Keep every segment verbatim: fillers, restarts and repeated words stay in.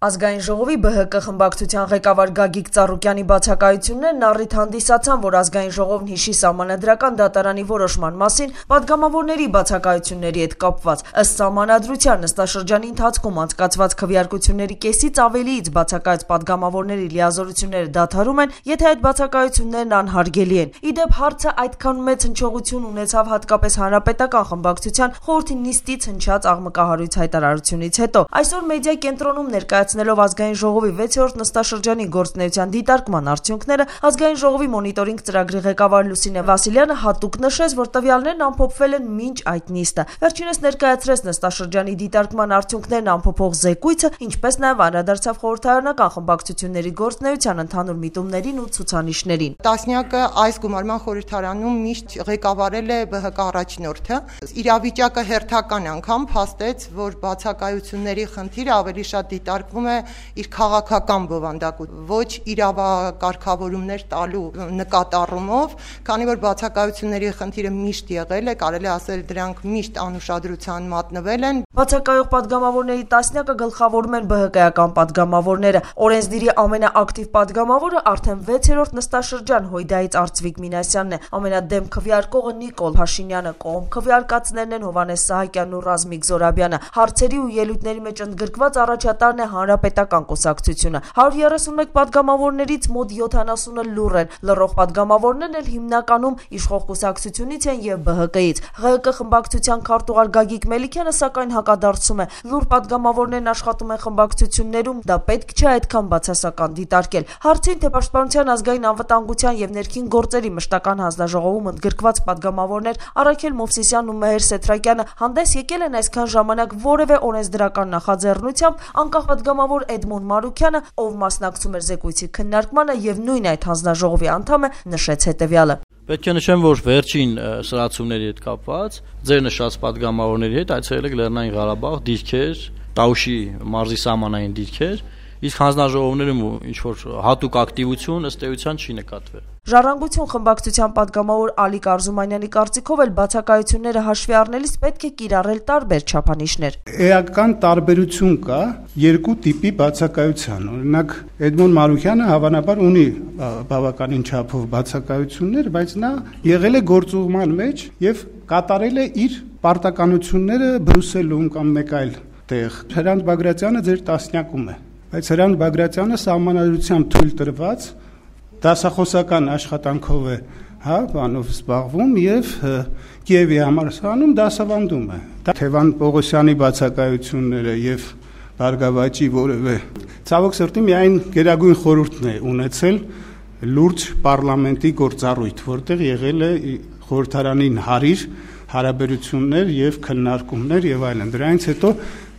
Ազգային ժողովի Բ Հ Կ խմբակցության ղեկավար Գագիկ Ծառուկյանի բացակայություններն առիթ հանդիսացան, որ Ազգային ժողովն հիշի Սահմանադրական դատարանի որոշման մասին պատգամավորների բացակայությունների հետ կապված։ Ըստ Սահմանադրության նստաշրջանի ընթացքում անցկացված քվեարկությունների կեսից ավելիից բացակայած պատգամավորների լիազորությունները դադարում են, եթե այդ բացակայություններն անհարգելի են։ Ի դեպ, հարցը այդքան մեծ հնչողություն ունեցավ հատկապես Հանրապետական խմբակցության խորհրդի նիստից հնչած աղմկահարույց հայտարարությունից հետո։ Այսօր մեդիա կենտրոնում ներկայացնելով Ազգային ժողովի վեցերորդ նստաշրջանի գործունեության դիտարկման արդյունքները, Ազգային ժողովի մոնիտորինգ ծրագրի ղեկավար Լուսինե Վասիլյանը հատուկ նշեց, որ տվյալներն ամփոփվել են մինչ այդ նիստը։ Վերջինս ներկայացրեց նստաշրջանի դիտարկման արդյունքներն ամփոփող զեկույցը, ինչպես նաև անդրադարձավ խորհրդարանական խմբակցությունների գործունեության ընդհանուր միտումներին ու ցուցանիշներին։ Տասնյակը այս գումարման խորհրդարանում միշտ ղեկավարել է Բ Հ Կ առաջնորդը։ Իրավիճակը հերթական անգամ փաստեց, որ բացակայությունների խնդիրը ավելի շատ դիտարկվում է իր քաղաքական բովանդակությամբ, ոչ իրավակարգավորումներ տալու նկատառումով, քանի որ բացակայությունների խնդիրը միշտ եղել է, կարելի ասել դրանք միշտ անուշադրության մատնվել են։ Բացակայող պատգամավորների տասնյակը գլխավորում են Բ Հ Կ-ական պատգամավորները։ Օրենսդիրի ամենաակտիվ պատգամավորը արդեն վեցերորդ նստաշրջան Հույդայից Արծվիկ Մինասյանն է, ամենադեմ քվեարկողը Նիկոլ Փաշինյանը, կողմ քվեարկածներն են Հովհաննես Սահակյանն ու Ռազմիկ Զորաբյանը, հարցերի ու ելույթների մեջ ընդգրկված առաջատարն է Հանրապետական կուսակցությունը։ հարյուր երեսունմեկ պատգամավորներից մոտ յոթանասունը լուռ են, լռող պատգամավորներն էլ հիմնականում իշխող կուսակցությունից են եւ Բ Հ Կ-ից։ Ղ Հ Կ խմբակցության քարտուղար Գագիկ Մելիքյանը սակայն հակադարձում է, լուռ պատգամավորներն աշխատում են խմբակցություններում, դա պետք չէ այդքան բացասական դիտարկել։ Հարցին, թե Պաշտպանության ազգային անվտանգության եւ ներքին գործերի մշտական հանձնաժողովում ընդգրկված պատգամավորներ Արաքել Մովսիսյանն ու Մեհեր Սեթրակյանը հանդես եկել են այսքան ժամանակ որևէ օրենսդրական նախաձեռնությամբ, անկախ պատգամավոր Էդմոն Մարուքյանը, ով մասնակցում էր զեկույցի քննարկմանը եւ նույն այդ հանձնաժողովի անդամ է, նշեց հետեւյալը. Պետք է նշեմ, որ վերջին սրացումների հետ կապված ձեր նշած պատգամավորների հետ այցելել եք Լեռնային Ղարաբաղ, դիրքեր, Տաուշի մարզի սահմանային դիրքեր, իսկ հանձնաժողովներում ինչ որ հատուկ ակտիվություն ըստ էության չի նկատվել։ Ժառանգություն խմբակցության պատգամավոր Ալիկ Արզումանյանի կարծիքով էլ բացակայությունները հաշվի առնելիս պետք է կիրառել տարբեր չափանիշներ։ Էական տարբերություն կա երկու տիպի բացակայության։ Օրինակ Էդմոն Մարուքյանը հավանաբար ունի բավականին չափով բացակայություններ, բայց նա եղել է գործուղման մեջ եւ կատարել է իր պարտականությունները Բրյուսելում կամ մեկ այլ տեղ։ Հրանտ Բագրատյանը ձեր տասնյակում է, բայց Հրանտ Բագրատյանը սահմանադրությամբ թույլ տրված դասախոսական աշխատանքով է, հա, բանով զբաղվում եւ Կիևի համալսարանում դասավանդում է։ Թևան Պողոսյանի բացակայությունները եւ Բարգավաճի որևէ ցավոք սրտի միայն Գերագույն խորհուրդն է ունեցել լուրջ պարլամենտի գործառույթ, որտեղ եղել է խորհրդարանին հարիր հարաբերություններ եւ քննարկումներ եւ այլն։ Դրանից հետո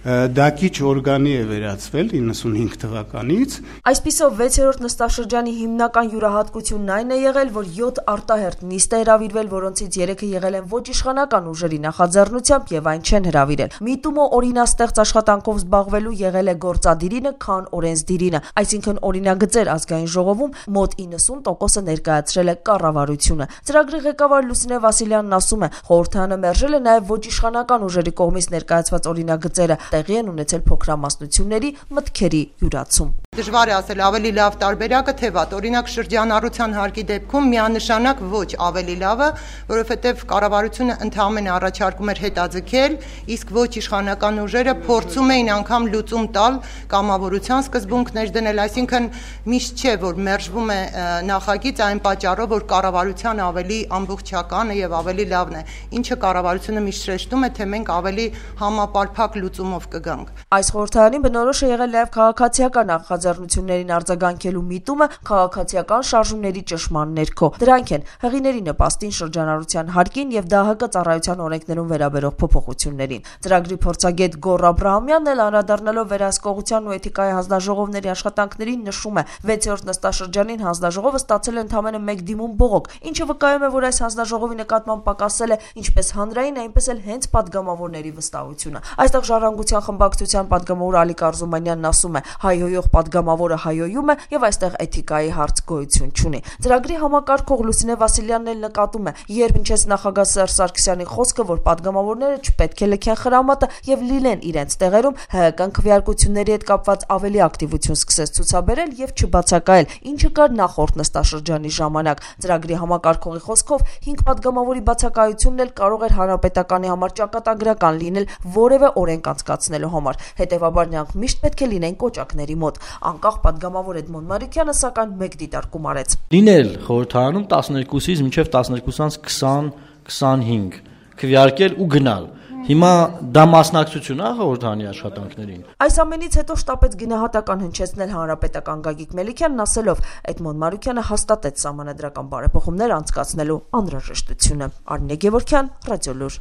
Դակիչ օրգանի է վերածվել իննսունհինգ թվականից։ Այսպիսով վեցերորդ նստաշրջանի հիմնական յուրահատկությունն այն է եղել, որ յոթ արտահերթ նիստ է հրավիրվել, որոնցից երեքը եղել են ոչ իշխանական ուժերի նախաձեռնությամբ եւ այն չեն հրավիրել։ Միտումը օրինաստեղծ աշխատանքով զբաղվելու եղել է գործադիրինը, քան օրենսդիրինը, այսինքն օրինագծեր Ազգային ժողովում մոտ իննսուն տոկոսը ներկայացրել է կառավարությունը։ Ծրագրի ղեկավար Լուսինե Վասիլյանն ասում է, խորհրդարանը մերժել է նաեւ ոչ իշխանական ուժերի կողմից ներկայացված օրինագծերը, տեղի են ունեցել փոքրամասնությունների մտքերի յուրացում։ Դժվար է ասել ավելի լավ տարբերակը թե վատ։ Օրինակ շրջանառության հարկի դեպքում միանշանակ ոչ ավելի լավը, որովհետև կառավարությունը ընդհանրապես առաջարկում էր հետաձգել, իսկ ոչ իշխանական ուժերը փորձում էին անգամ լուծում տալ կամավորության սկզբունքներ դնել, այսինքն միշտ չէ, որ մերժվում է նախագիծ այն պատճառով, որ կառավարության ավելի ամբողջականը եւ ավելի լավն է, ինչը կառավարությունը միշտ շեշտում է, թե մենք ավելի համապարփակ լուծումով կգանք։ Այս խորհրդարանի բնորոշ է եղել նաև քաղաքացիական նախաձեռնություններին արձագանքելու միտումը քաղաքացիական շարժումների ճշմարտ ներքո։ Դրանք են հեղիների նպաստին, շրջանառության հարկին եւ Դահ Հ Կ ծառայության օրենքներում վերաբերող փոփոխություններին։ Ծրագրի փորձագետ Գոռ Աբրահամյանն էլ անդրադառնալով վերահսկողության ու էթիկայի հանձնաժողովների աշխատանքներին նշում է, վեցերորդ նստաշրջանին հանձնաժողովը ստացել է ընդամենը մեկ դիմում բողոք, ինչը վկայում է, որ այս հանձնաժողովի նկատմամբ պակասել է ինչպես հանրային, այնպես էլ հենց պատգամավորների վստահությունը։ Այստեղ ժառանգության հանրապետության խմբակցության պատգամավոր Ալիկ Արզումանյանն ասում է. հայհոյող պատգամավորը հայհոյում է եւ այստեղ էթիկայի հարց գոյություն չունի։ Ծրագրի համակարգող Լուսինե Վասիլյանն էլ նկատում է, երբ ինչպես նախագահ Սերժ Սարգսյանի խոսքը, որ պատգամավորները չպետք է լքեն խրամատը եւ լիլեն իրենց տեղերում, հայկական քվեարկությունների հետ կապված ավելի ակտիվություն սկսեց ցուցաբերել եւ չբացակայել, ինչը կար նախորդ նստաշրջանի ժամանակ։ Ծրագրի համակարգողի խոսքով հինգ պատգամավորի բացակայությունն էլ կարող էր հանրապետականի համար ճակատագրական լինել որևէ օրենք անցկացնելու համար։ Հետևաբար նրանք միշտ պետք է լինեն կոճակների մոտ։ Անկախ պատգամավոր Էդմոն Մարուկյանը սակայն մեկ դիտարկում արեց. Լինել խորհրդարանում տասներկուսից մինչև տասներկուսից քսան քսանհինգ քվեարկել ու գնալ։ Հիմա դա մասնակցություն է խորհրդարանի աշխատանքներին։ Այս ամենից հետո շտապեց գնահատական հնչեցնել հանրապետական Գագիկ Մելիքյանն, ասելով. Էդմոն Մարուկյանը հաստատեց սահմանադրական բարեփոխումներ անցկացնելու անհրաժեշտությունը։ Արմինե Գևորգյան, Ռադիոլուր։